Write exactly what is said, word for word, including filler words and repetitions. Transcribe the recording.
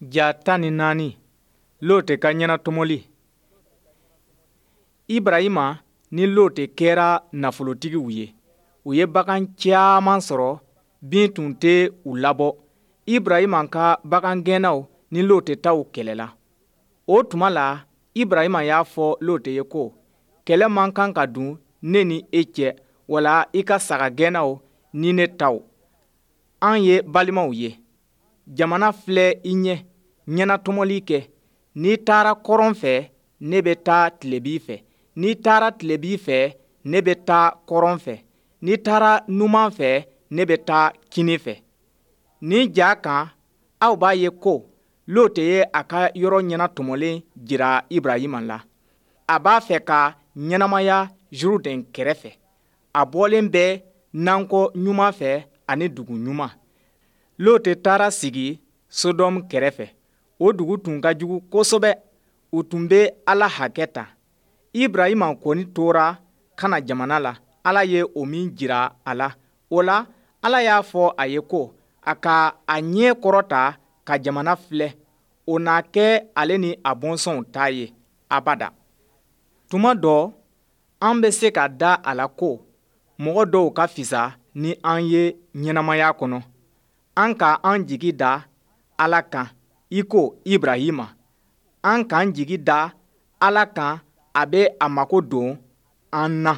Ja tan ni naani, Lote ka ɲɛnatɔmɔli. Ibrahima ni Lote kɛra nafolotigiw ye. U ye bagan caman sɔrɔ, bin tun tɛ u labɔ. Ibrahima ka bagangɛnnaw ni Lote taw kɛlɛla. O tuma la, Ibrahima y'a fɔ Lote ye ko, kɛlɛ man kan ka don ne ni e cɛ, wala i ka sagagɛnnaw ni ne taw. An ye balimaw ye. Jamana filɛ i ɲɛ, ɲɛnatɔmɔli kɛ. N'i taara kɔrɔn fɛ, ne bɛ taa tilebin fɛ. N'i taara tilebin fɛ, ne bɛ taa kɔrɔn fɛ. N'i taara numan fɛ, ne bɛ taa kinin fɛ. Nin ja kan, aw b'a ye ko Lote ye a ka yɔrɔ ɲɛnatɔmɔlen jira Ibrahima la. A b'a fɛ ka ɲɛnamaya Zurudɛn kɛrɛfɛ. A bɔlen bɛ nankɔ ɲuman fɛ ani dugu ɲuman. Lote taara sigi Sodɔmu kɛrɛfɛ. O dugu tun ka jugu kosɛbɛ. U tun bɛ Ala hakɛ ta. Ibrahima kɔni tora Kana jamana la, Ala ye o min jira a la. O la, Ala y'a fɔ a ye ko a ka a ɲɛ kɔrɔta ka jamana filɛ, o na kɛ ale ni a bɔnsɔnw ta ye abada. Tuma dɔ, an bɛ se ka da a la ko mɔgɔ dɔw ka fisa ni an ye ɲɛnamaya kɔnɔ. An ka an jigi da Ala kan i ko Ibrahima. An k'an jigi da Ala kan, a bɛ a mago don an na.